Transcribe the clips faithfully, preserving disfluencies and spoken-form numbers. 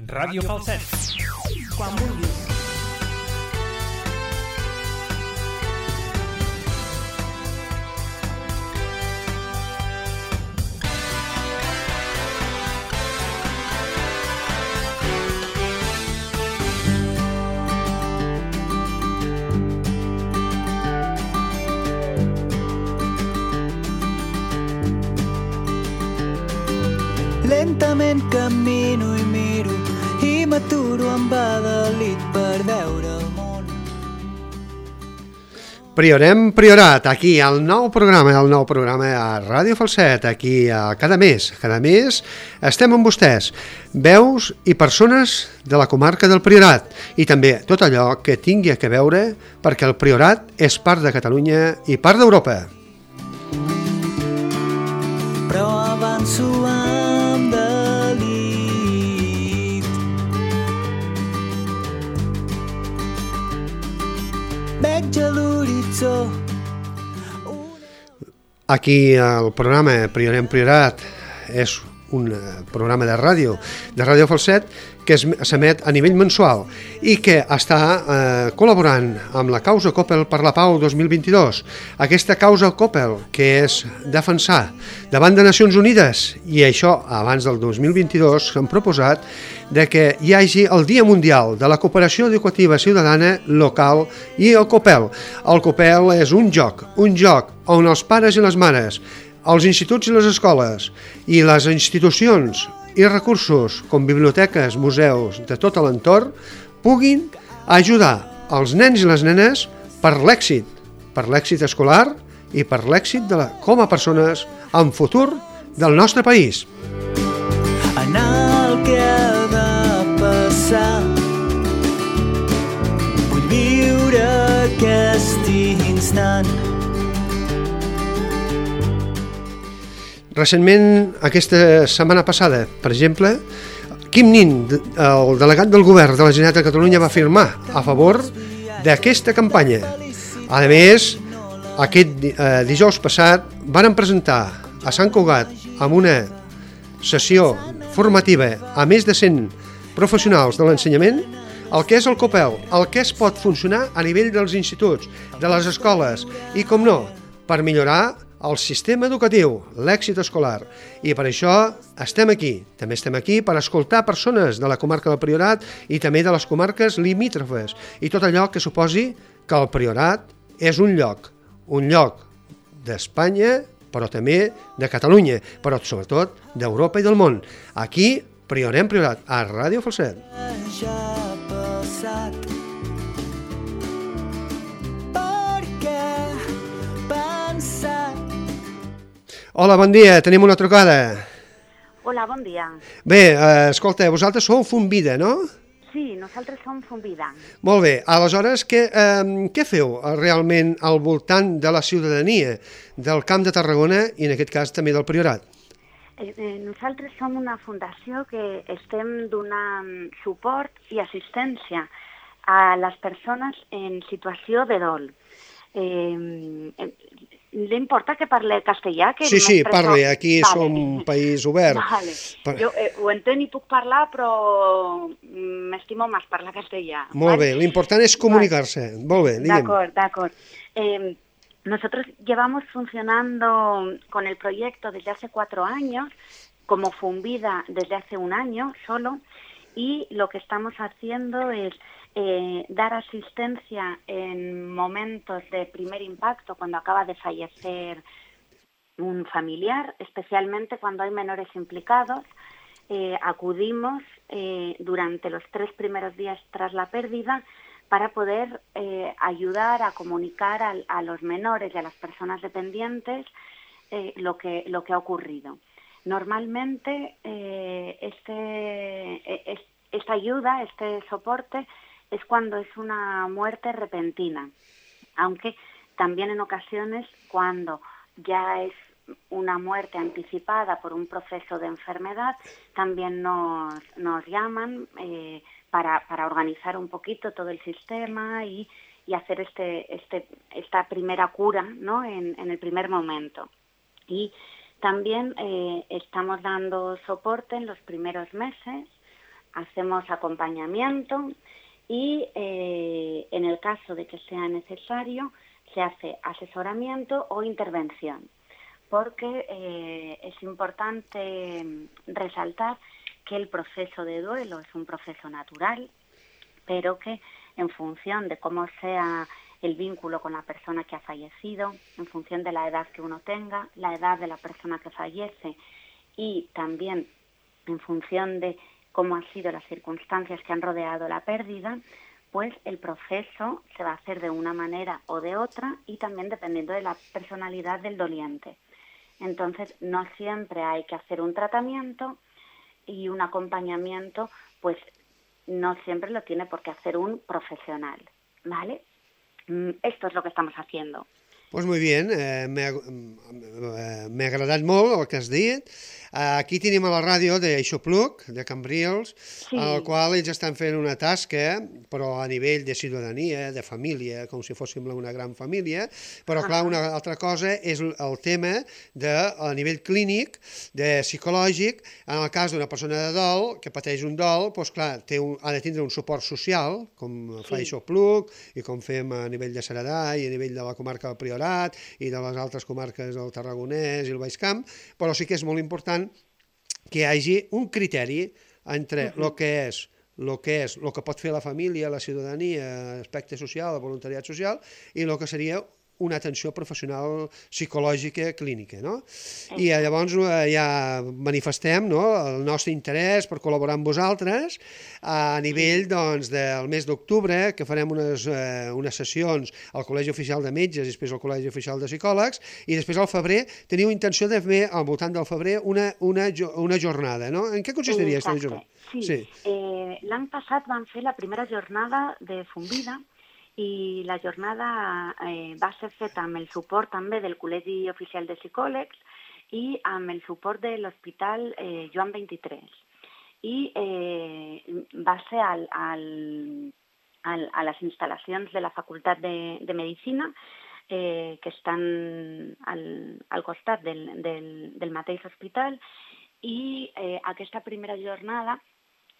Ràdio Falset. Quan vulguis. Lentament camino i miro i m'aturo amb Adalid per veure el món. Priorem Priorat, aquí al nou programa, el nou programa a Ràdio Falset, aquí a cada mes. Cada mes estem amb vostès, veus i persones de la comarca del Priorat i també tot allò que tingui a veure perquè el Priorat és part de Catalunya i part d'Europa. Però avanço amb delit. Veig a l'horitzó. Aquí el programa Priorem Priorat és un programa de ràdio, de Ràdio Falset, que s'emet a nivell mensual i que està eh, col·laborant amb la causa Coppel per la Pau dos mil vint-i-dos. Aquesta causa Coppel, que és defensar davant de Nacions Unides, i això abans del dos mil vint-i-dos s'han proposat de que hi hagi el Dia Mundial de la Cooperació Educativa Ciutadana Local i el Coppel. El Coppel és un joc, un joc on els pares i les mares, els instituts i les escoles i les institucions i recursos com biblioteques, museus de tot l'entorn puguin ajudar els nens i les nenes per l'èxit, per l'èxit escolar i per l'èxit de la, com a persones en futur del nostre país. En el que ha de passar vull viure aquest instant. Recentment, aquesta setmana passada, per exemple, Quim Nin, el delegat del govern de la Generalitat de Catalunya, va firmar a favor d'aquesta campanya. A més, aquest eh, dijous passat van presentar a Sant Cugat amb una sessió formativa a més de cent professionals de l'ensenyament el que és el Coppel, el que es pot funcionar a nivell dels instituts, de les escoles i, com no, per millorar el sistema educatiu, l'èxit escolar. I per això estem aquí. També estem aquí per escoltar persones de la comarca del Priorat i també de les comarques limítrofes i tot allò que suposi que el Priorat és un lloc, un lloc d'Espanya, però també de Catalunya, però sobretot d'Europa i del món. Aquí, Priorem Priorat, a Ràdio Falset. Ja ha passat. Hola, bon dia, tenim una trucada. Hola, bon dia. Bé, eh, escolta, vosaltres sou Fonvida, no? Sí, nosaltres som Fonvida. Molt bé, aleshores, què, eh, què feu realment al voltant de la ciutadania del Camp de Tarragona i en aquest cas també del Priorat? Eh, eh, nosaltres som una fundació que estem donant suport i assistència a les persones en situació de dol. Eh, eh, Li importa que parle castellà? Que sí, sí, parli, aquí vale. Som un país obert. Vale. Per... Jo eh, ho entenc i puc parlar, però m'estimo més parlar castellà. Molt ¿vale? bé, l'important és comunicar-se. Vale. Molt bé, diguem. De acuerdo, de acuerdo. Eh, nosotros llevamos funcionando con el proyecto desde hace cuatro años, como Fonvida desde hace un año solo, y lo que estamos haciendo es Eh, dar asistencia en momentos de primer impacto, cuando acaba de fallecer un familiar, especialmente cuando hay menores implicados. Eh, acudimos eh, durante los tres primeros días tras la pérdida para poder eh, ayudar a comunicar a, a los menores y a las personas dependientes eh, lo que, lo que ha ocurrido. Normalmente eh, este, eh, esta ayuda, este soporte, es cuando es una muerte repentina, aunque también en ocasiones cuando ya es una muerte anticipada por un proceso de enfermedad, también nos, nos llaman eh, para, para organizar un poquito todo el sistema y, y hacer este, este, esta primera cura, ¿no? en, en el primer momento. Y también eh, estamos dando soporte en los primeros meses hacemos acompañamiento y eh, en el caso de que sea necesario se hace asesoramiento o intervención, porque eh, es importante resaltar que el proceso de duelo es un proceso natural, pero que en función de cómo sea el vínculo con la persona que ha fallecido, en función de la edad que uno tenga, la edad de la persona que fallece y también en función de cómo han sido las circunstancias que han rodeado la pérdida, pues el proceso se va a hacer de una manera o de otra y también dependiendo de la personalidad del doliente. Entonces, no siempre hay que hacer un tratamiento y un acompañamiento, pues no siempre lo tiene por qué hacer un profesional, ¿vale? Esto es lo que estamos haciendo. Pues muy bien, eh, m'ha eh, agradat molt el que has dit. Aquí tenim a la ràdio d'Aixopluc, de Cambrils, Sí. en el qual ells estan fent una tasca, però a nivell de ciutadania, de família, com si fóssim una gran família, però clar, una altra cosa és el tema de, a nivell clínic, de psicològic, en el cas d'una persona de dol, que pateix un dol, doncs clar, té un, ha de tindre un suport social, com fa Sí. Aixopluc, i com fem a nivell de Ceredà i a nivell de la comarca del Priorat, i de les altres comarques del Tarragonès i el Baix Camp, però sí que és molt important que hi hagi un criteri entre el que és el que és, el que pot fer la família, la ciutadania, l'aspecte social, el voluntariat social, i el que seria una atenció professional psicològica clínica, no? I llavors eh, ja manifestem, no, el nostre interès per col·laborar amb vosaltres a nivell doncs, del mes d'octubre, que farem unes, eh, unes sessions al Col·legi Oficial de Metges i després al Col·legi Oficial de Psicòlegs, i després al febrer teniu intenció de fer al voltant del febrer una, una, una jornada, no? En què consistiria aquesta jornada? Sí, sí. Eh, l'any passat vam fer la primera jornada de Fumbida i la jornada eh, va ser feta amb el suport també del Col·legi Oficial de Psicòlegs i amb el suport de l'Hospital eh, Joan vint-i-tres. I eh, va ser al, al, al, a les instal·lacions de la Facultat de, de Medicina, eh, que estan al, al costat del, del, del mateix hospital, i eh, aquesta primera jornada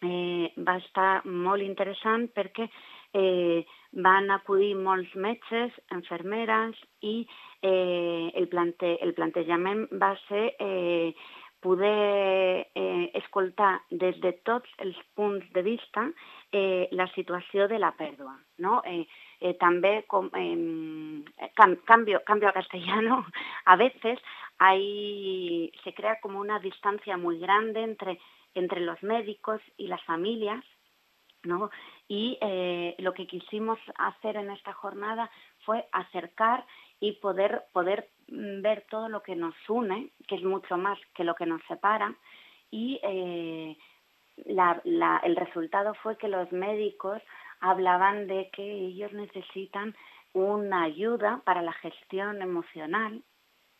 eh, va estar molt interessant perquè eh, van acudir molts metges, infermeres, i eh, el, plante, el plantejament va ser eh, poder eh, escoltar des de tots els punts de vista eh, la situació de la pèrdua, ¿no? Eh, eh, també, com, eh, cam, cambio, cambio a castellano, a veces hay, se crea como una distancia muy grande entre, entre los médicos y las familias, ¿no? Y eh, lo que quisimos hacer en esta jornada fue acercar y poder, poder ver todo lo que nos une, que es mucho más que lo que nos separa, y eh, la, la, el resultado fue que los médicos hablaban de que ellos necesitan una ayuda para la gestión emocional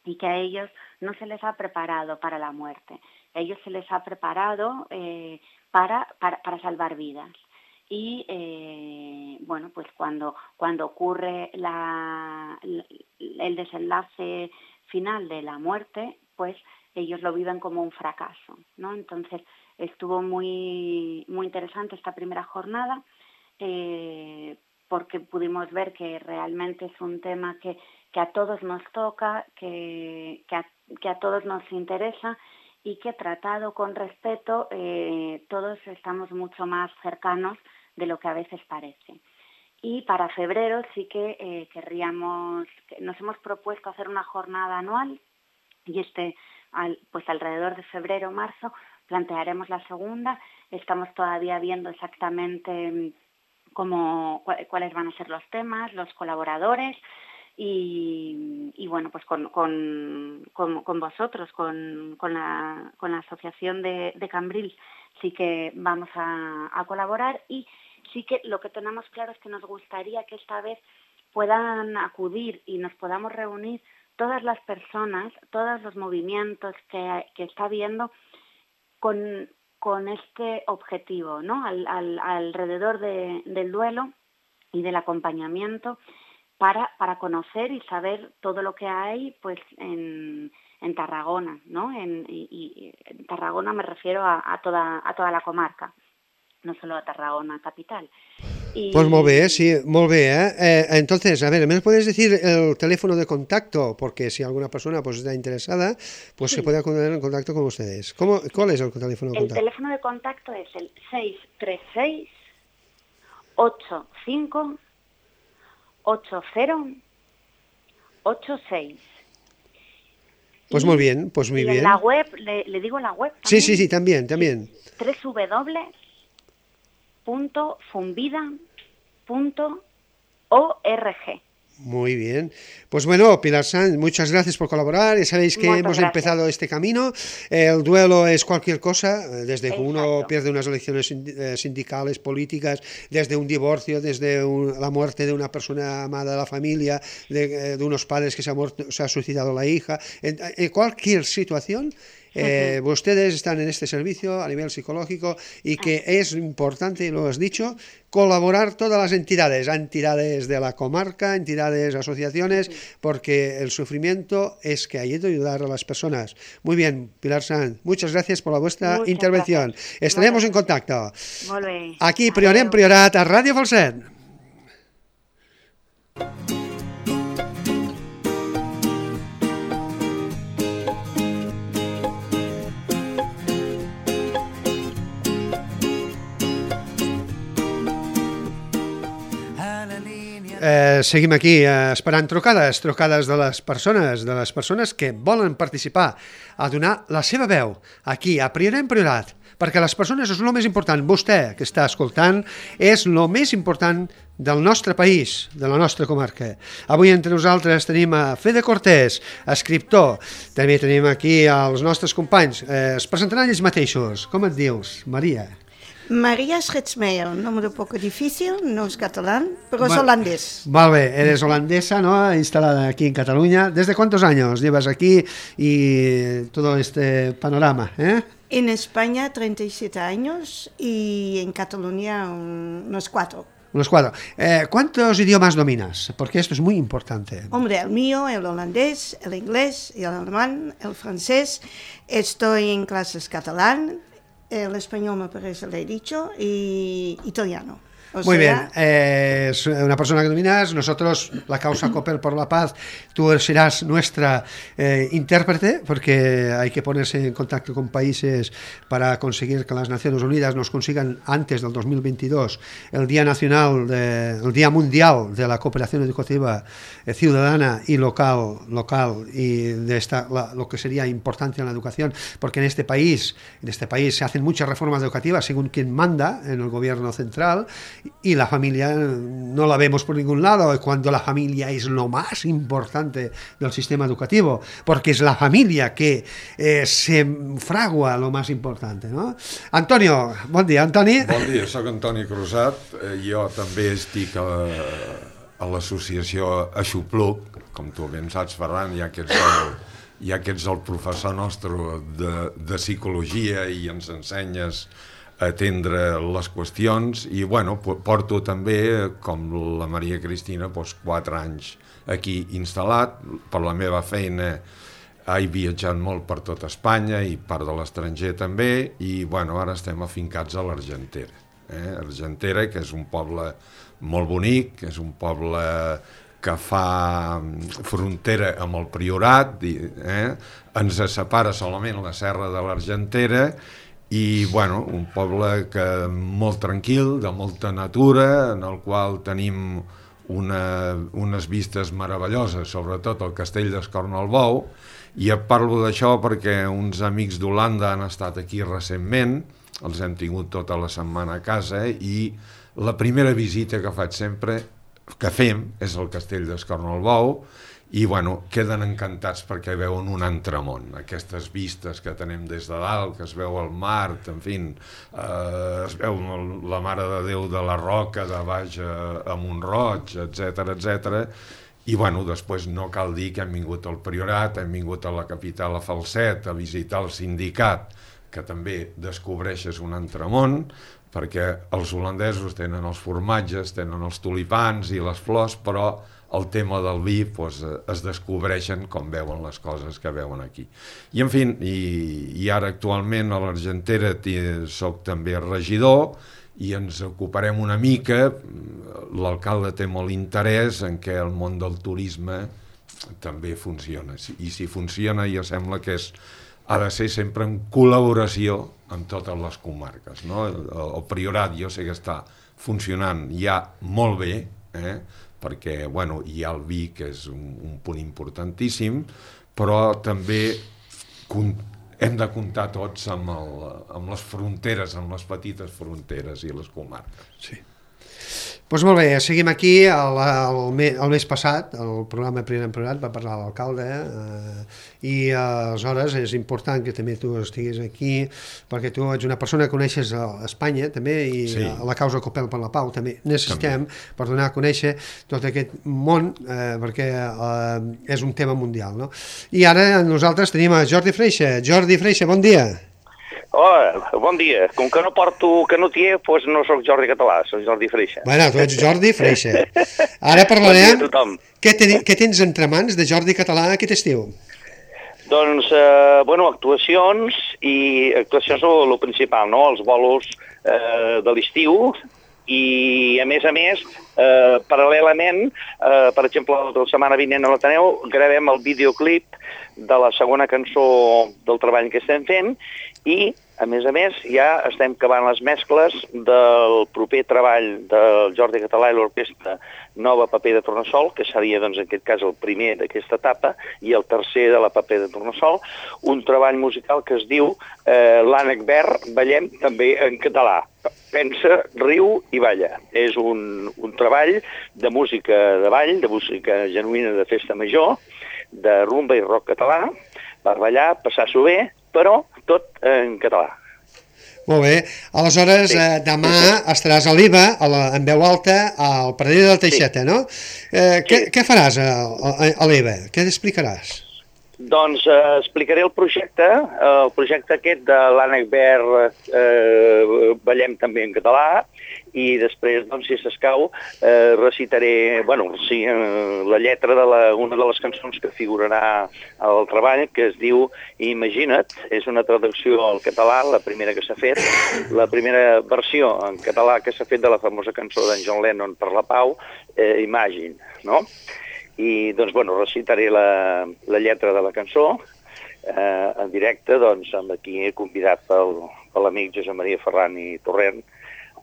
y que a ellos no se les ha preparado para la muerte, a ellos se les ha preparado eh, para, para, para salvar vidas. Y eh, bueno, pues cuando, cuando ocurre la, el desenlace final de la muerte, pues ellos lo viven como un fracaso, ¿no? Entonces estuvo muy, muy interesante esta primera jornada, eh, porque pudimos ver que realmente es un tema que, que a todos nos toca, que, que, a, que a todos nos interesa, y que tratado con respeto eh, todos estamos mucho más cercanos de lo que a veces parece. Y para febrero sí que eh, querríamos, nos hemos propuesto hacer una jornada anual, y este, al, pues alrededor de febrero o marzo plantearemos la segunda. Estamos todavía viendo exactamente cómo, cuáles van a ser los temas, los colaboradores. Y, y bueno, pues con, con, con, con vosotros, con, con, la, con la Asociación de, de Cambrils, sí que vamos a, a colaborar, y sí que lo que tenemos claro es que nos gustaría que esta vez puedan acudir y nos podamos reunir todas las personas, todos los movimientos que, que está habiendo con, con este objetivo, ¿no? Al, al, alrededor de, del duelo y del acompañamiento, para, para conocer y saber todo lo que hay pues en, en Tarragona, ¿no? En, y, y en Tarragona me refiero a, a, toda, a toda la comarca. no solo a Tarragona capital. Y... Pues muy bien, sí, muy bien. ¿eh? Eh, entonces, a ver, ¿me puedes decir el teléfono de contacto? Porque si alguna persona pues está interesada, pues sí. se puede poner en contacto con ustedes. ¿Cómo, ¿Cuál es el teléfono de el contacto? El teléfono de contacto es el seis tres seis, ocho cinco, ocho cero, ocho seis. Pues y, muy bien, pues muy y bien. En la web, le, le digo la web también. Sí, sí, sí, también, también. doble u doble u doble u punto fumbida punto org. Muy bien. Pues bueno, Pilar Sanz, muchas gracias por colaborar. Ya sabéis que Muchas hemos gracias. empezado este camino. El duelo es cualquier cosa, desde que Exacto. uno pierde unas elecciones sindicales, políticas, desde un divorcio, desde un, la muerte de una persona amada de la familia, de, de unos padres que se ha, muerto, se ha suicidado la hija. En, en cualquier situación, Eh, uh-huh. ustedes están en este servicio a nivel psicológico y que uh-huh. es importante, y lo has dicho, colaborar todas las entidades, entidades de la comarca, entidades, asociaciones, uh-huh. porque el sufrimiento es que hay que ayudar a las personas. Muy bien, Pilar Sanz, muchas gracias por la vuestra muchas intervención. Gracias. Estaremos en contacto. Molt bé. Aquí, Priorat en Priorat, a Ràdio Falset. Eh, seguim aquí eh, esperant trucades, trucades de les persones, de les persones que volen participar a donar la seva veu aquí, a Priorat en Priorat, perquè les persones és el més important. Vostè, que està escoltant, és el més important del nostre país, de la nostra comarca. Avui entre nosaltres tenim a Fede Cortés, escriptor. També tenim aquí els nostres companys. Eh, es presentaran ells mateixos. Com et dius, Maria? Maria Schritzmeier, un nombre un poco difícil, no es catalán, pero es holandés. Vale, eres holandesa, ¿no? Instalada aquí en Cataluña. ¿Desde cuántos años llevas aquí y todo este panorama? ¿eh? En España treinta y siete años y en Cataluña unos cuatro. Unos cuatro. Eh, ¿Cuántos idiomas dominas? Porque esto es muy importante. Hombre, el mío, el holandés, el inglés, el alemán, el francés. Estoy en clases catalán. El español me parece, le he dicho, y italiano. O Muy sea... bien, eh, es una persona que dominas, nosotros, la causa Coppel por la Paz, tú serás nuestra eh, intérprete, porque hay que ponerse en contacto con países para conseguir que las Naciones Unidas nos consigan antes del dos mil veintidós el Día Nacional, de, el Día Mundial de la Cooperación Educativa eh, Ciudadana y Local, local y de esta, la, lo que sería importante en la educación, porque en este país, en este país se hacen muchas reformas educativas según quien manda en el gobierno central, y la familia no la vemos por ningún lado, cuando la familia es lo más importante del sistema educativo, porque es la familia que eh, se fragua lo más importante, ¿no? Antonio, bon dia, Antoni. Bon dia, soc Antoni Crusat, eh, jo també estic a, a l'associació Aixopluc, com tu ben saps, Ferran, ja que ets el, ja que ets el professor nostre de, de psicologia i ens ensenyes atendre les qüestions, i bueno, porto també, com la Maria Cristina, doncs, quatre anys aquí instal·lat. Per la meva feina he viatjat molt per tot Espanya i part de l'estranger també, i bueno, ara estem afincats a l'Argentera. Eh? Argentera, que és un poble molt bonic, que és un poble que fa frontera amb el Priorat, eh? Ens separa solament la serra de l'Argentera, i bueno, un poble que molt tranquil, de molta natura, en el qual tenim una, unes vistes meravelloses, sobretot el castell d'Escornalbou, i et parlo d'això perquè uns amics d'Holanda han estat aquí recentment, els hem tingut tota la setmana a casa, i la primera visita que faig sempre, que fem, és el castell d'Escornalbou, i bueno, queden encantats perquè veuen un altre món, aquestes vistes que tenem des de dalt, que es veu el mar, en fi, eh, es veu la Mare de Déu de la Roca de baix a, a Mont-roig, etcètera, etcètera. I bueno, després no cal dir que hem vingut al Priorat, hem vingut a la capital, a Falset, a visitar el sindicat, que també descobreixes un altre món, perquè els holandesos tenen els formatges, tenen els tulipans i les flors, però el tema del vi pues, es descobreixen com veuen les coses que veuen aquí. I en fi, i, i ara actualment a l'Argentera soc també regidor, i ens ocuparem una mica. L'alcalde té molt interès en què el món del turisme també funciona, i si funciona ja sembla que és, ha de ser sempre en col·laboració amb totes les comarques, no? El, el Priorat jo sé que està funcionant ja molt bé, eh? Perquè bueno, hi ha el vi, que és un, un punt importantíssim, però també hem de comptar tots amb, el, amb les fronteres, amb les petites fronteres i les comarques. Sí. Doncs molt bé, seguim aquí. El, el, el mes passat, el programa Primer Priorat va parlar l'alcalde, eh, i eh, aleshores és important que també tu estiguis aquí, perquè tu ets una persona que coneixes a Espanya també, i sí. a la causa Copel per la Pau també necessitem també. Per donar a conèixer tot aquest món, eh, perquè eh, és un tema mundial, no? I ara nosaltres tenim a Jordi Freixa. Jordi Freixa, bon dia. Hola, bon dia. Com que no porto canutier, doncs no sóc Jordi Català, sóc Jordi Freixa. Bueno, tu ets Jordi Freixa. Ara parlarem... Bon dia a tothom. Què, ten, què tens entre mans de Jordi Català aquest estiu? Doncs, eh, bueno, actuacions, i actuacions són el principal, no? Els bolos eh, de l'estiu, i a més a més, eh, paral·lelament, eh, per exemple, la setmana vinent a l'Ateneu, gravem el videoclip de la segona cançó del treball que estem fent, i a més a més ja estem acabant les mescles del proper treball del Jordi Català i l'orquestra Nova Paper de Tornassol, que seria doncs en aquest cas el primer d'aquesta etapa, i el tercer de la Paper de Tornassol, un treball musical que es diu eh, l'Ànec Verd, ballem també en català. Pensa, riu i balla. És un, un treball de música de ball, de música genuïna de festa major, de rumba i rock català, per ballar, passar-s'ho bé, però tot en català. Molt bé. Aleshores, sí. eh, demà estaràs a l'I V A, a la, en veu alta, al Pradell de la Teixeta, sí. no? Eh, sí. què, què faràs a, a, a l'I V A? Què t'explicaràs? Doncs eh, explicaré el projecte, eh, el projecte aquest de l'Ànec Verd, eh, ballem també en català, i després, doncs, si s'escau, eh, recitaré, bueno, sí, eh, la lletra de la, una de les cançons que figurarà al treball, que es diu Imagina't, és una traducció al català, la primera que s'ha fet, la primera versió en català que s'ha fet de la famosa cançó d'en John Lennon per la Pau, eh, Imagine, no? I, doncs, bueno, recitaré la, la lletra de la cançó eh, en directe, doncs, amb aquí he convidat pel, per l'amic Josep Maria Ferran i Torrent,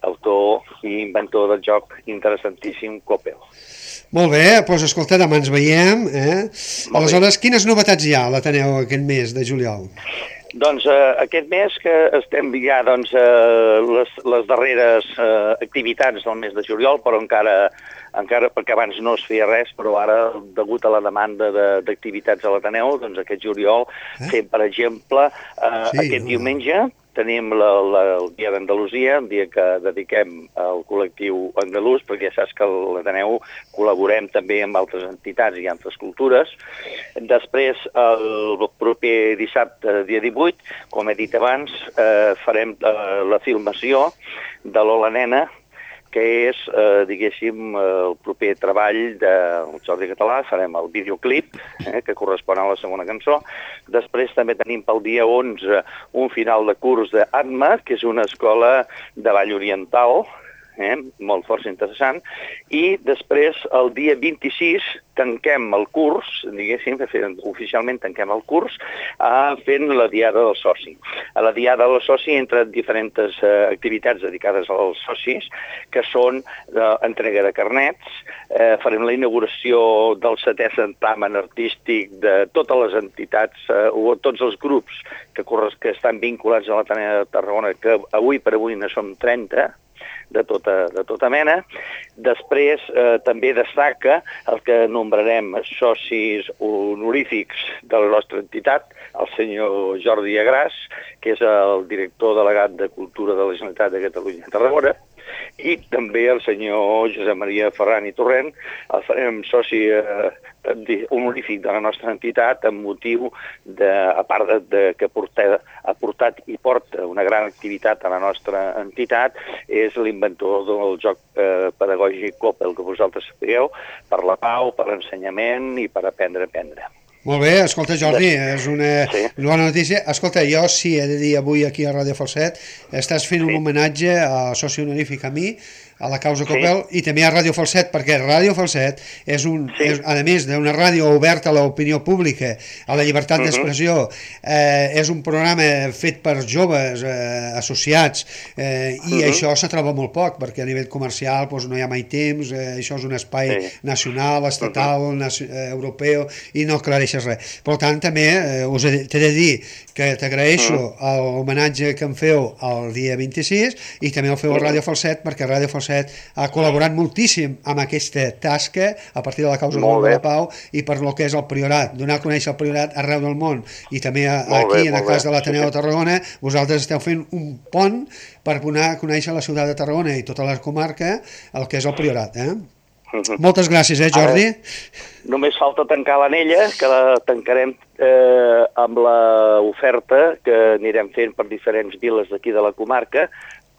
autor i inventor del joc interessantíssim Copel. Molt bé, doncs escolta, demà ens veiem. Eh? Aleshores, quines novetats hi ha a l'Ateneu aquest mes de juliol? Doncs eh, aquest mes que estem ja doncs, eh, les, les darreres eh, activitats del mes de juliol, però encara, encara perquè abans no es feia res, però ara, degut a la demanda d'activitats de, a l'Ateneu, doncs aquest juliol eh? fem, per exemple, eh, sí, aquest no. diumenge, tenim la, la, el Dia d'Andalusia, un dia que dediquem al col·lectiu andalús, perquè ja saps que a l'Ateneu col·laborem també amb altres entitats i altres cultures. Després, el proper dissabte, dia divuit, com he dit abans, eh, farem eh, la filmació de l'Hola Nena, que és, eh, diguéssim, el proper treball del Jordi Català. Farem el videoclip, eh, que correspon a la segona cançó. Després també tenim pel dia onze un final de curs d'Atma, que és una escola de ball oriental, eh, molt força interessant, i després el dia vint-i-sis tanquem el curs, diguéssim, oficialment tanquem el curs, eh, fent la Diada del Soci. A la Diada del Soci entren diferents eh, activitats dedicades als socis, que són eh, entrega de carnets, eh, farem la inauguració del setè certamen artístic de totes les entitats eh, o tots els grups que, que estan vinculats a l'Ateneu de Tarragona, que avui per avui ne som trenta, de tota, de tota mena. Després eh, també destaca el que nombrarem socis honorífics de la nostra entitat, el senyor Jordi Agràs, que és el director delegat de Cultura de la Generalitat de Catalunya a Tarragona, i també el senyor Josep Maria Ferran i Torrent, el farem soci eh, honorífic de la nostra entitat amb motiu, de, a part de, de que porta, ha portat i porta una gran activitat a la nostra entitat, és l'inventor del joc eh, pedagògic Copel, que vosaltres sapigueu, per la pau, per l'ensenyament i per aprendre a aprendre. Molt bé, escolta, Jordi, és una Sí. bona notícia. Escolta, jo sí he de dir avui aquí a Ràdio Falset, estàs fent un Sí. homenatge a soci honorífic a mi, a la causa Sí. Copel, i també a Ràdio Falset, perquè Ràdio Falset és, un, Sí. és a més d'una ràdio oberta a l'opinió pública, a la llibertat Mhm. d'expressió, eh, és un programa fet per joves eh, associats, eh, i Mhm. això se troba molt poc, perquè a nivell comercial doncs, no hi ha mai temps, eh, això és un espai Sí. nacional, estatal, naci eh, europeu, i no aclareixes res. Per tant, també eh, us he, t'he de dir que t'agraeixo l'homenatge que em feu el dia vint-i-sis i també el feu a Ràdio Falset, perquè Ràdio Falset ha col·laborat moltíssim amb aquesta tasca a partir de la causa Molt de bé. la pau i per lo que és el Priorat, donar a conèixer el Priorat arreu del món, i també a, Molt aquí bé, en el molt cas bé. de l'Ateneu Sí, de Tarragona, vosaltres esteu fent un pont per donar a conèixer la ciutat de Tarragona i tota la comarca el que és el Priorat, eh? Mhm. Moltes gràcies, eh, Jordi? Ara, només falta tancar l'anella, que la tancarem eh, amb l'oferta que anirem fent per diferents viles d'aquí de la comarca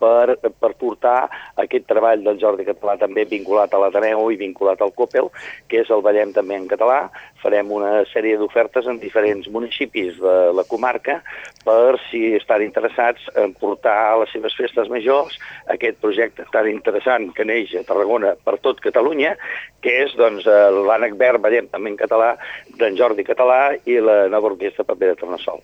per, per portar aquest treball del Jordi Català també vinculat a l'Ateneu i vinculat al Copel, que és el Ballem també en català. Farem una sèrie d'ofertes en diferents municipis de la comarca per, si estan interessats, en portar a les seves festes majors aquest projecte tan interessant que neix a Tarragona per tot Catalunya, que és doncs, l'Ànec Verd, Ballem també en català, d'en Jordi Català i la nova orquestra Paper de Tornassol.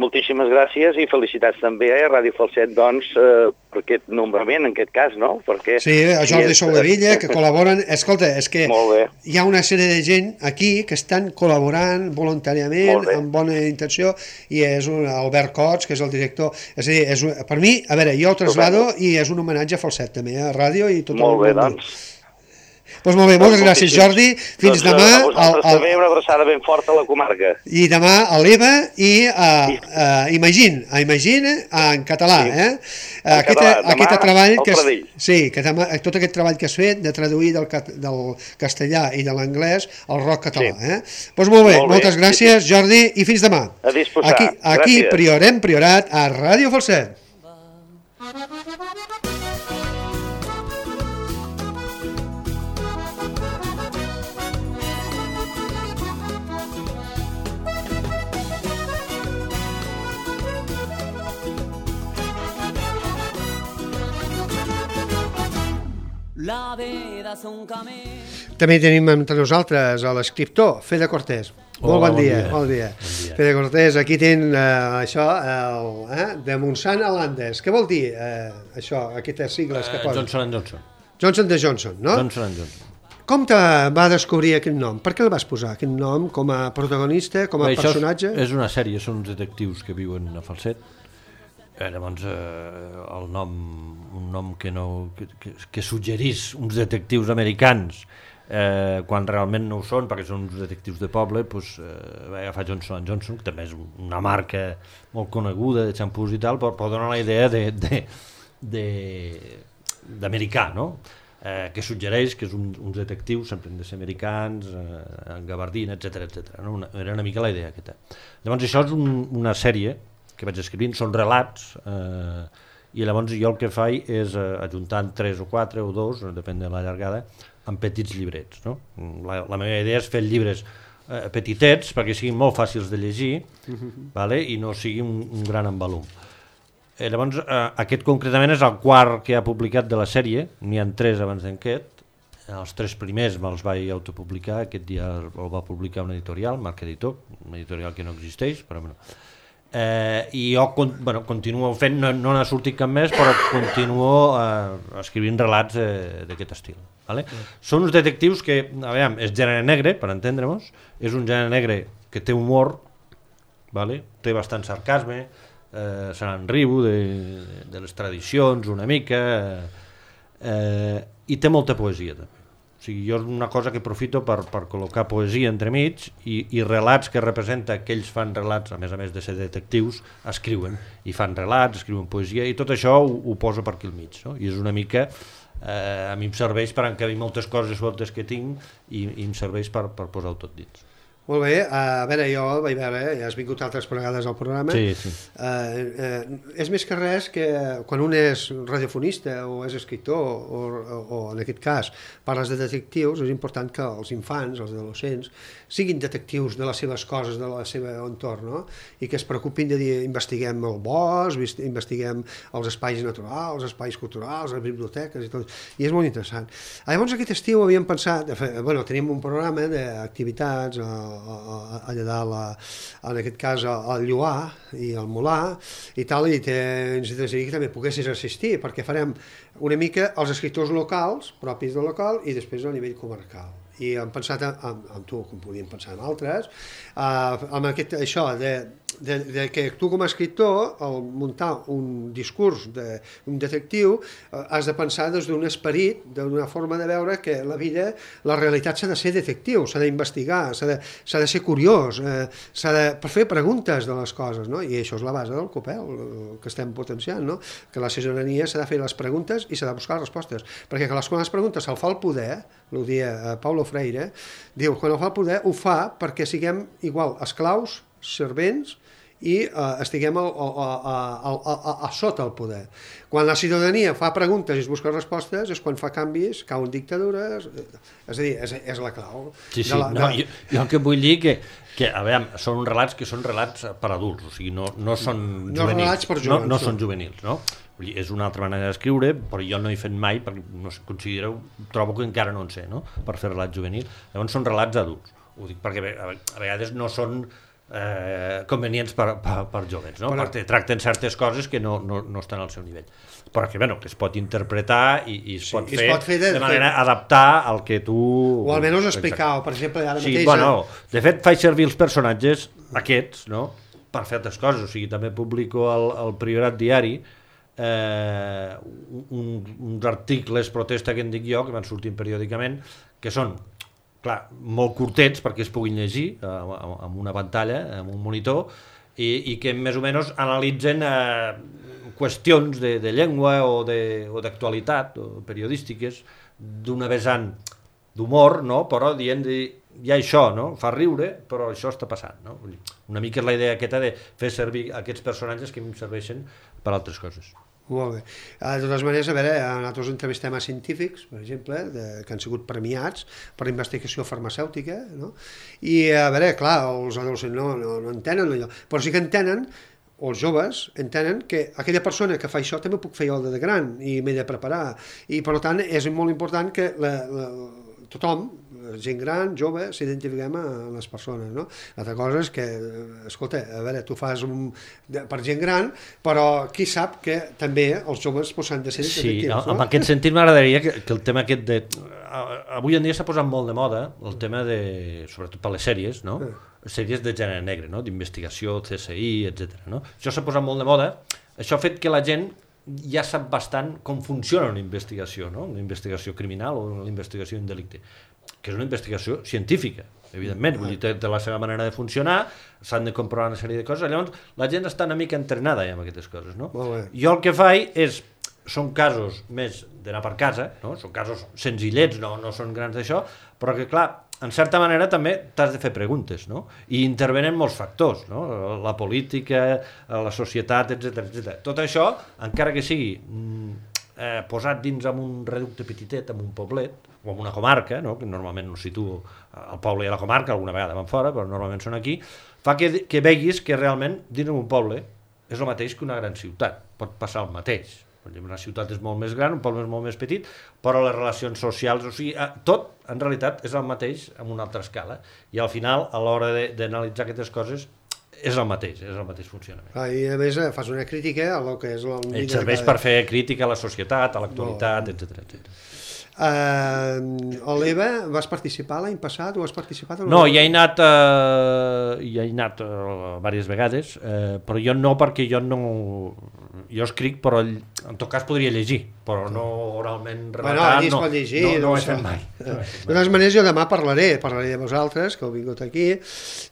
Moltíssimes gràcies i felicitats també a Ràdio Falset, doncs, eh, per aquest nombrament, en aquest cas, no? Perquè, Sí, a Jordi Soldevilla, que col·laboren. Escolta, és que Molt bé. hi ha una sèrie de gent aquí que estan col·laborant voluntàriament, Molt bé. amb bona intenció, i és un Albert Cots, que és el director. És a dir, és un, per mi, a veure, jo ho traslado i és un homenatge a Falset, també, a ràdio i tot Molt bé, el món. doncs. Doncs molt bé, moltes gràcies, Jordi. Fins doncs, demà. A vosaltres al- al- també una abraçada ben forta a la comarca. I demà a l'Eva i a, a Imagine, a Imagine en català, Sí. eh? En Aquest, català. Demà aquest treball al que es, Pradell. sí, que demà, tot aquest treball que has fet de traduir del, cat- del castellà i de l'anglès al rock català, Sí. eh? Doncs molt bé, Molt bé, moltes sí, gràcies, Jordi, i fins demà. A disposar. Aquí, aquí Gràcies. Priorem Priorat a Ràdio Falset. La vida és un camí. També tenim entre nosaltres a l'escriptor, Fede Cortés. Molt Hola, bon, bon dia, dia. bon dia. Bon dia. Fede Cortés, aquí ten eh, això, el, eh, de Monsanto a Landes. Què vol dir eh, això, aquestes sigles que Eh, posen? Johnson and Johnson. Johnson de Johnson, no? Johnson and Johnson. Com te va descobrir aquest nom? Per què el vas posar, aquest nom, com a protagonista, com a Bé, això personatge? És, és una sèrie, són uns detectius que viuen a Falset. Eh, llavors, eh, el nom, un nom que, no, que, que, que suggerís uns detectius americans eh, quan realment no ho són, perquè són uns detectius de poble, doncs, eh, va agafar Johnson and Johnson, que també és una marca molt coneguda de xampús i tal, però, però dona la idea de, de, de, d'americà, no? Eh, que suggereix que és un, uns detectius, sempre han de ser americans, eh, en gabardina, etcètera, etcètera. No? Una, era una mica la idea aquesta. Llavors això és un, una sèrie que vaig escrivint, són relats, eh, i llavors jo el que faig és eh, ajuntant tres o quatre o dos, depèn de la llargada, amb petits llibrets. No? La, la meva idea és fer llibres eh, petitets perquè siguin molt fàcils de llegir, vale? I no sigui un, un gran envolum. Eh, llavors, eh, aquest concretament és el quart que ha publicat de la sèrie, n'hi ha tres abans d'aquest, els tres primers me'ls vaig autopublicar, aquest dia el va publicar un editorial, Marc Editor, un editorial que no existeix, però bueno. Eh, i jo con, bueno, continuo fent, no, no n'ha sortit cap més, però continuo eh, escrivint relats eh, d'aquest estil. Vale? Mm. Són uns detectius que, a veure, és gènere negre, per entendre-nos, és un gènere negre que té humor, vale? Té bastant sarcasme, eh, se n'enriu de, de les tradicions una mica, eh, i té molta poesia també. O sigui, jo és una cosa que aprofito per, per col·locar poesia entremig i, i relats que representa que ells fan relats, a més a més de ser detectius, escriuen, i fan relats, escriuen poesia, i tot això ho, ho poso per aquí al mig, no? I és una mica, eh, a mi em serveix per encabir moltes coses sueltes que tinc i, i em serveix per, per posar-ho tot dins. Molt bé, a veure, jo vaig veure, ja has vingut altres vegades al programa. Sí, sí. Uh, uh, és més que res que quan un és radiofonista o és escriptor o, o, o en aquest cas parles de detectius, és important que els infants, els adolescents, siguin detectius de les seves coses, de la seva entorn, no? I que es preocupin de dir, investiguem el bosc, investiguem els espais naturals, els espais culturals, les biblioteques i tot. I és molt interessant. Llavors aquest estiu havíem pensat, bueno, tenim un programa d'activitats allà dalt, en aquest cas al Lloar i al Molar i tal, i ens desitjaria que també poguessis assistir, perquè farem una mica els escriptors locals, propis del local, i després a nivell comarcal. I hem pensat amb, amb tu, com podíem pensar en altres, uh, amb aquest, això de, de, de que tu com a escriptor, al muntar un discurs d'un detectiu, uh, has de pensar des d'un esperit, d'una forma de veure que la vida, la realitat s'ha de ser detectiu, s'ha d'investigar, s'ha de, s'ha de ser curiós, uh, s'ha de fer preguntes de les coses, no? I això és la base del Copel, el que estem potenciant, no? Que la ciutadania s'ha de fer les preguntes i s'ha de buscar les respostes, perquè que les, quan les preguntes se'l fa el poder, ho dia Paulo Freire, diu, quan el fa el poder, ho fa perquè siguem igual esclaus, servents, i uh, estiguem a, a, a, a, a, a sota el poder. Quan la ciutadania fa preguntes i es busca respostes és quan fa canvis, cauen dictadures, és a dir, és, és la clau. Sí, sí, la, no, de... jo, jo el que vull dir que, que a veure, són relats que són relats per adults, o sigui, no, no són no juvenils. Relats per jovens, no, no són juvenils, no? Vull dir, és una altra manera d'escriure, però jo no he fet mai, perquè no sé, considero, trobo que encara no en sé, no? Per fer relats juvenils. Llavors són relats adults. Ho dic perquè a vegades no són eh, convenients per, per, per joves, no? Però... perquè tracten certes coses que no, no, no estan al seu nivell. Però que, bueno, que es pot interpretar i, i es, sí, pot es fer pot fer de, de manera de... adaptar al que tu... O almenys explicar, o per exemple, ara sí, mateix... Bueno, de fet, faig servir els personatges aquests, no?, per fer altres coses. O sigui, també publico al, al Priorat Diari eh, un, uns articles protesta que en dic jo, que van sortint periòdicament, que són, clar, molt curtets perquè es puguin llegir eh, amb una pantalla, amb un monitor, i, i que més o menys analitzen eh, qüestions de, de llengua o d'actualitat o, o periodístiques d'una vessant d'humor, no? Però dient de, hi ha això, no? Fa riure, però això està passant, no? Una mica és la idea aquesta de fer servir aquests personatges que em serveixen per altres coses. Molt bé. De totes maneres, a veure, nosaltres entrevistem a científics, per exemple, de, que han sigut premiats per investigació farmacèutica, no? I, a veure, clar, els adolescents no, no, no entenen allò, però sí que entenen, o els joves entenen que aquella persona que fa això també puc fer jo de gran i m'he de preparar. I, per tant, és molt important que la, la, tothom, gent gran, jove, s'identifiquem a les persones, no? L'altra cosa és que, escolta, a veure, tu fas un, per gent gran, però qui sap que també els joves s'han de ser detectius, sí, no? En aquest sentit m'agradaria que, que el tema aquest de... Avui en dia s'ha posat molt de moda el tema de, sobretot per les sèries, no? Ah. Sèries de gènere negre, no? D'investigació, C S I, etcètera. No? Això s'ha posat molt de moda, això ha fet que la gent ja sap bastant com funciona una investigació, no? Una investigació criminal o una investigació en delicte, que és una investigació científica, evidentment, vull dir, té, té la seva manera de funcionar, s'han de comprovar una sèrie de coses, llavors la gent està una mica entrenada ja amb aquestes coses, no? Jo el que faig és, són casos més d'anar per casa, no? Són casos senzillets, no, no són grans d'això, però que clar, en certa manera també t'has de fer preguntes, no? I intervenen molts factors, no? La política, la societat, etcètera, etcètera. Tot això, encara que sigui eh, posat dins amb un reducte petitet, amb un poblet, o amb una comarca, no? Que normalment no situo al poble i a la comarca, alguna vegada van fora, però normalment són aquí, fa que, que veguis que realment dins d'un poble és el mateix que una gran ciutat, pot passar el mateix. Una ciutat és molt més gran, un poble és molt més petit, però les relacions socials, o sigui, tot en realitat és el mateix amb una altra escala, i al final, a l'hora d'analitzar aquestes coses, és el mateix, és el mateix funcionament. Ah, I a més fas una crítica a lo que és... El serveix per fer crítica a la societat, a l'actualitat, etcètera, etcètera. Uh, l'Eva, vas participar l'any passat o has participat? No, hi he anat, uh, hi he anat uh, diverses vegades, uh, però jo no, perquè jo no... Jo escric, però en tot cas podria llegir, però no oralment relatar, bueno, allí es no, pot llegir, no, no no ho he sé. fet mai. De totes maneres, jo demà parlaré, parlaré de vosaltres, que heu vingut aquí,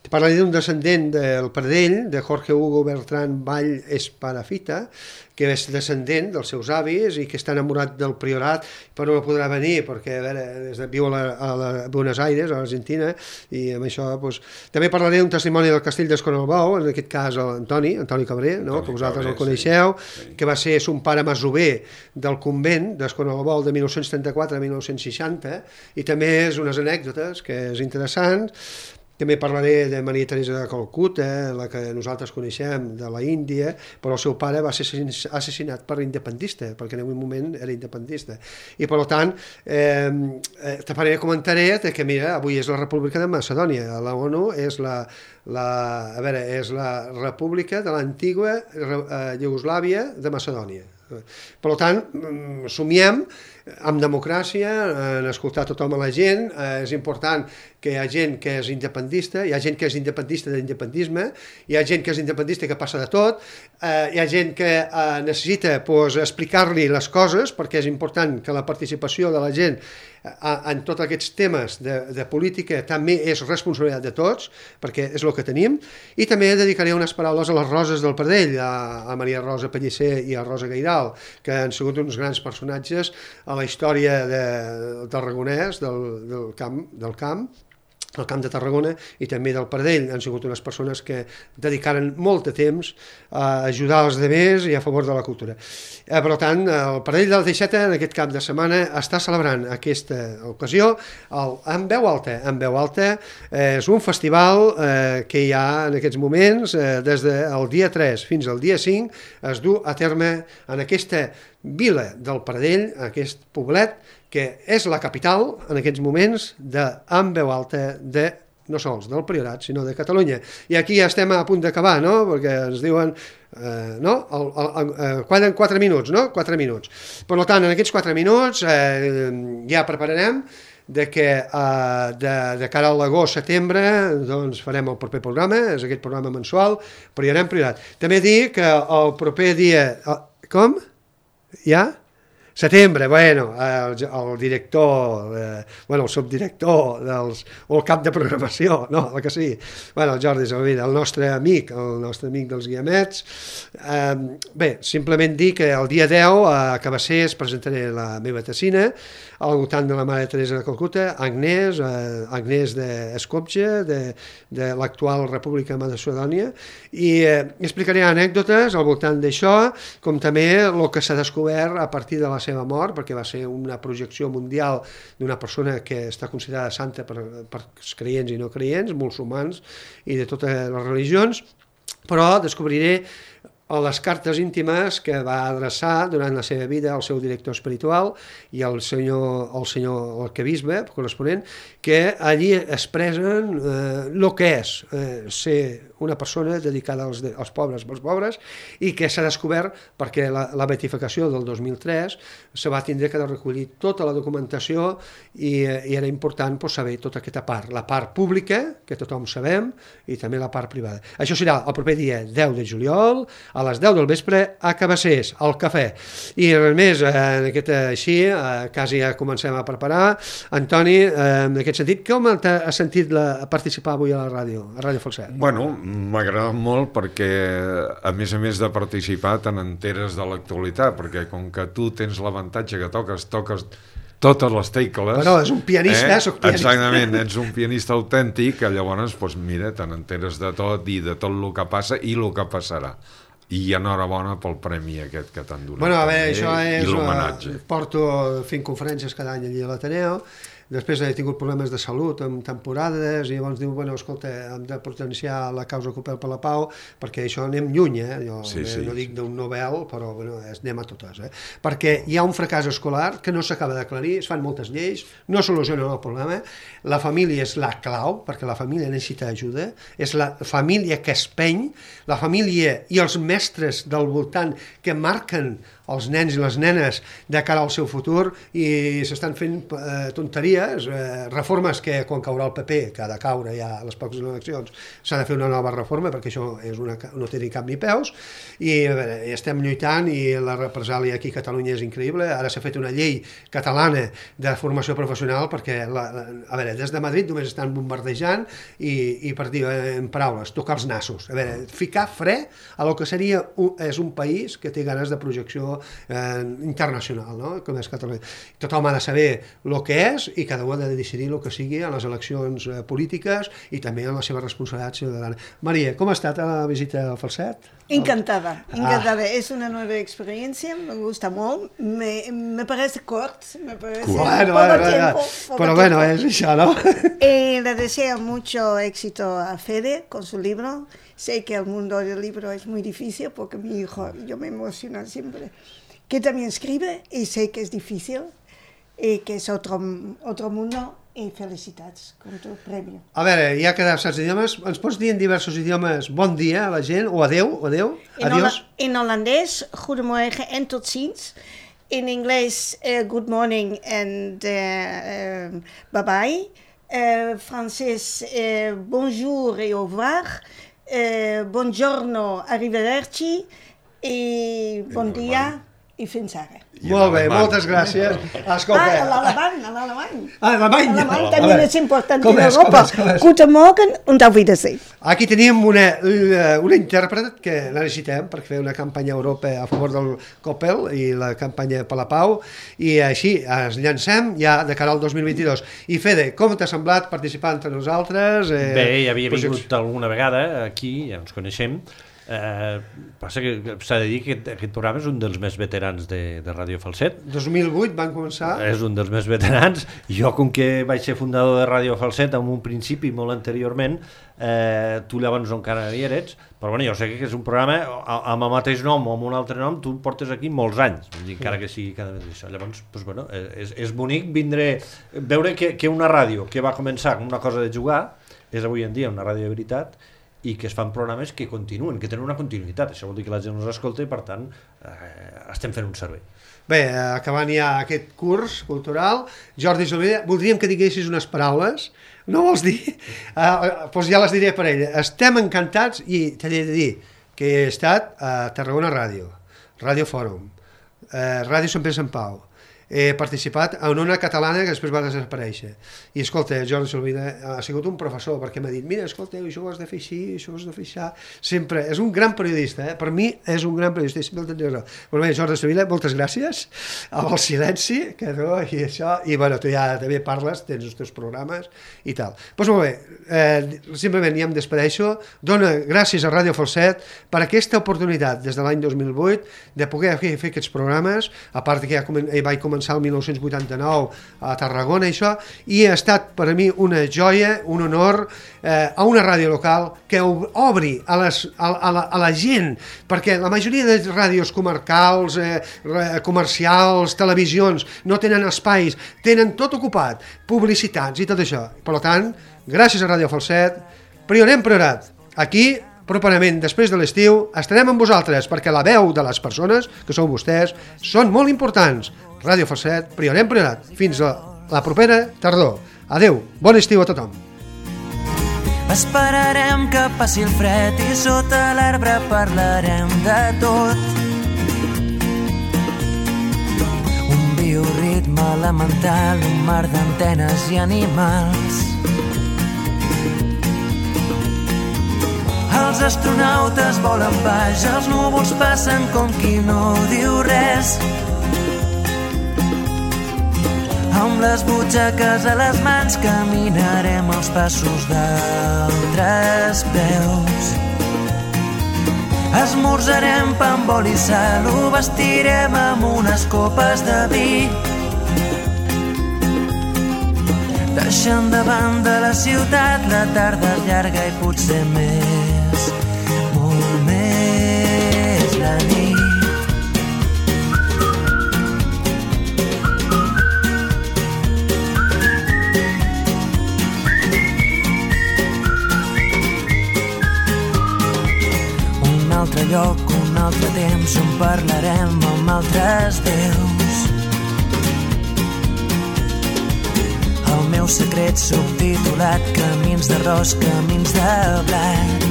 parlaré d'un descendent del Pradell, de Jorge Hugo Bertran Vall Esparafita, que és descendent dels seus avis i que està enamorat del priorat, però no podrà venir perquè a veure, des de, viu a, la, a la Buenos Aires, a l'Argentina, i amb això doncs, també parlaré d'un testimoni del castell d'Escornalbou, en aquest cas l'Antoni, Antoni Cabré, no? Antoni que vosaltres Cabré, el coneixeu, sí. Sí. Que va ser son pare masover del convent d'Escornalbou de mil nou-cents trenta-quatre a mil nou-cents seixanta, i també és unes anècdotes que és interessant. També parlaré de Maria Teresa de Calcuta, la que nosaltres coneixem, de la Índia, però el seu pare va ser assassinat per independentista, perquè en aquell moment era independentista. I per tant, eh, te faré comentaré que, mira, avui és la República de Macedònia, la ONU és la, la, a veure, és la República de l'antiga eh, Iugoslàvia de Macedònia. Per tant, somiem amb democràcia, en escoltar tothom a la gent, eh, és important que hi ha gent que és independentista, hi ha gent que és independentista d'independentisme, hi ha gent que és independentista que passa de tot, eh, hi ha gent que eh, necessita pues, explicar-li les coses, perquè és important que la participació de la gent eh, en tots aquests temes de, de política també és responsabilitat de tots, perquè és el que tenim, i també dedicaré unes paraules a les Roses del Pradell, a, a Maria Rosa Pellicer i a Rosa Gairal, que han sigut uns grans personatges a la història de, del Tarragonès, del, del camp, del camp, del camp de Tarragona i també del Pradell. Han sigut unes persones que dedicaren molt de temps a ajudar els demés i a favor de la cultura. Eh, per tant, el Pradell del Teixeta en aquest cap de setmana està celebrant aquesta ocasió el, en veu alta. En veu alta eh, és un festival eh, que hi ha en aquests moments, eh, des del dia tres fins al dia cinc, es du a terme en aquesta vila del Pradell, aquest poblet, que és la capital, en aquests moments, de, en veu alta, de, no sols del Priorat, sinó de Catalunya. I aquí ja estem a punt d'acabar, no?, perquè ens diuen, eh, no?, el, el, el, queden quatre minuts, no?, quatre minuts. Per tant, en aquests quatre minuts eh, ja prepararem de que eh, de, de cara a l'agost-setembre doncs farem el proper programa, és aquest programa mensual, però hi anem Priorat. També dir que el proper dia... Eh, com? Ja? Setembre, bueno, el, el director, eh, bueno, el subdirector dels, o el cap de programació, no, el que sigui, bueno, el Jordi Salvina, el nostre amic, el nostre amic dels guiamets. Eh, bé, simplement dir que el dia deu a Cabassers presentaré la meva tessina, al voltant de la Mare Teresa de Calcuta, Agnès, eh, Agnès d'Eskopje, de, de l'actual República de Macedònia, i eh, explicaré anècdotes al voltant d'això, com també el que s'ha descobert a partir de la seva mort, perquè va ser una projecció mundial d'una persona que està considerada santa per, per creients i no creients, musulmans i de totes les religions, però descobriré a les cartes íntimes que va adreçar durant la seva vida al seu director espiritual i al senyor, al senyor arquebisbe corresponent, que allí expressen eh, el que és eh, ser una persona dedicada als, als pobres pels pobres, i que s'ha descobert perquè la, la beatificació del dos mil tres se va tindre que recollir tota la documentació i, i era important pues, saber tota aquesta part, la part pública, que tothom sabem, i també la part privada. Això serà el proper dia deu de juliol, a les deu del vespre, a Cabassers, al cafè. I res més, en aquest, així, eh, quasi ja comencem a preparar. Antoni, eh, en aquest sentit, com has sentit la, participar avui a la ràdio, a Ràdio Falset? Bueno, m'ha agradat molt perquè, a més a més de participar, te n'enteres de l'actualitat, perquè com que tu tens l'avantatge que toques, toques totes les tecles... Bueno, és un pianista, eh? Soc pianista. Exactament, ets un pianista autèntic, que llavors, doncs, mira, te n'enteres de tot i de tot el que passa i el que passarà. I enhorabona pel premi aquest que t'han donat. Bueno, a veure, això és... I l'homenatge. Porto fent conferències cada any allí a l'Ateneu. Després he tingut problemes de salut en temporades i llavors diu, bueno, escolta, hem de potenciar la causa Copel per la Pau perquè això anem lluny, eh? Jo sí, sí, no dic d'un Nobel, però bueno, anem a totes, eh? Perquè hi ha un fracàs escolar que no s'acaba d'aclarir, es fan moltes lleis, no solucionen el problema, la família és la clau, perquè la família necessita ajuda, és la família que es peny, la família i els mestres del voltant que marquen els nens i les nenes de cara al seu futur i s'estan fent eh, tonteries, eh, reformes que quan caurà el P P, que ha de caure ja a les poques eleccions, s'ha de fer una nova reforma perquè això és una, no té ni cap ni peus i a veure, estem lluitant i la represàlia aquí a Catalunya és increïble. Ara s'ha fet una llei catalana de formació professional perquè la, la, a veure, des de Madrid només estan bombardejant i, i per dir en paraules, tocar els nassos, a veure, ficar fre a lo que seria un, és un país que té ganes de projecció eh, internacional, no? Com és Catalunya. Tothom ha de saber el que és i cada un ha de decidir el que sigui a les eleccions eh, polítiques i també en la seva responsabilitat ciutadana. Maria, com ha estat la visita al Falset? Encantada, encantada. Ah. Es una nueva experiencia, me gusta mucho, me, me parece corto, me parece bueno, poco bueno, tiempo. Poco pero bueno, es eso, ¿no? Y le deseo mucho éxito a Fede con su libro. Sé que el mundo del libro es muy difícil porque mi hijo, yo me emociono siempre, que también escribe y sé que es difícil y que es otro, otro mundo. I felicitats com tu premi. A veure, ja que saps idiomes, ens pots dir en diversos idiomes bon dia a la gent, o adeu, o adeu, adiós? In holandès, goedemorgen en tot ziens. In Engels, uh, good morning and uh, uh, bye-bye. Uh, Francès, uh, bonjour et au revoir. Uh, buongiorno, arrivederci. I bon dia i fins ara. Molt bé, moltes gràcies. Escolta. Ah, l'alemany, l'alemany. Ah, l'alemany. L'alemany també és important en Europa. Guten Morgen und auf Wiedersehen. Aquí tenim una, una intèrpret que la necessitem per fer una campanya a Europa a favor del Coppel i la campanya per la pau i així ens llancem ja de cara al dos mil vint-i-dos. I Fede, com t'ha semblat participar entre nosaltres? Eh, Bé, ja havia vingut alguna vegada aquí, ja ens coneixem. Eh, passa que s'ha de dir que aquest, aquest programa és un dels més veterans de, de Ràdio Falset. dos mil vuit van començar. És un dels més veterans. Jo, com que vaig ser fundador de Ràdio Falset en un principi molt anteriorment, eh, tu llavors encara hi eres, però bueno, jo sé que és un programa amb el mateix nom o amb un altre nom, tu portes aquí molts anys, encara que sigui cada vegada això. Llavors, doncs, bueno, és, és bonic vindre, veure que, que una ràdio que va començar com una cosa de jugar és avui en dia una ràdio de veritat i que es fan programes que continuen, que tenen una continuïtat. Això vol dir que la gent ens escolta i, per tant, eh, estem fent un servei. Bé, acabant ja aquest curs cultural, Jordi Solvella, voldríem que diguessis unes paraules. No vols dir? Uh, doncs ja les diré per ella. Estem encantats i t'he de dir que he estat a Tarragona Ràdio, Ràdio Fòrum, eh, Ràdio Sant Pere Sant Pau, he participat en una catalana que després va desaparèixer i escolta, Jordi Solvida ha sigut un professor perquè m'ha dit, mira, escolta, això ho has de fer així, això ho has de fer així, sempre, és un gran periodista, eh? Per mi és un gran periodista, sempre el tindré raó. Però bé, Jordi Solvida, moltes gràcies amb el silenci que no, i això, i bueno, tu ja també parles, tens els teus programes i tal. Doncs molt bé, eh, simplement ja em despedeixo, dona gràcies a Ràdio Falset per aquesta oportunitat des de l'any dos mil vuit de poder fer, fer aquests programes, a part que ja vaig començar el mil nou-cents vuitanta-nou a Tarragona i això, i ha estat per a mi una joia, un honor eh, a una ràdio local que obri a, les, a, a, la, a la gent, perquè la majoria de ràdios comarcals, eh, comercials, televisions, no tenen espais, tenen tot ocupat, publicitats i tot això. Per tant, gràcies a Ràdio Falset, Priorem Priorat, aquí properament, després de l'estiu, estarem amb vosaltres, perquè la veu de les persones, que sou vostès, són molt importants. Ràdio Falset, Priorem Priorat. Fins a la propera tardor. Adeu, bon estiu a tothom. Esperarem que passi el fred i sota l'arbre parlarem de tot. Un bioritme elemental, un mar d'antenes i animals. Els astronautes volen baix, els núvols passen com qui no diu res. Amb les butxaques a les mans caminarem els passos d'altres peus. Esmorzarem pa amb oli i sal, ho vestirem amb unes copes de vi. Deixant de banda la ciutat, la tarda és llarga i potser més, molt més la nit. Un altre lloc, un altre temps on parlarem amb altres déus. El meu secret subtitulat, camins d'arròs, camins de blat.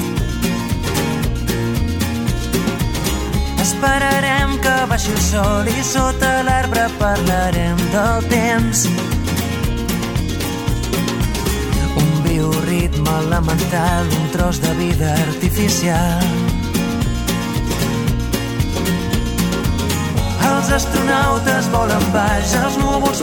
Esperarem que baixi el sol i sota l'arbre parlarem del temps. Un bioritme elemental, un tros de vida artificial. Els astronautes volen baix, els núvols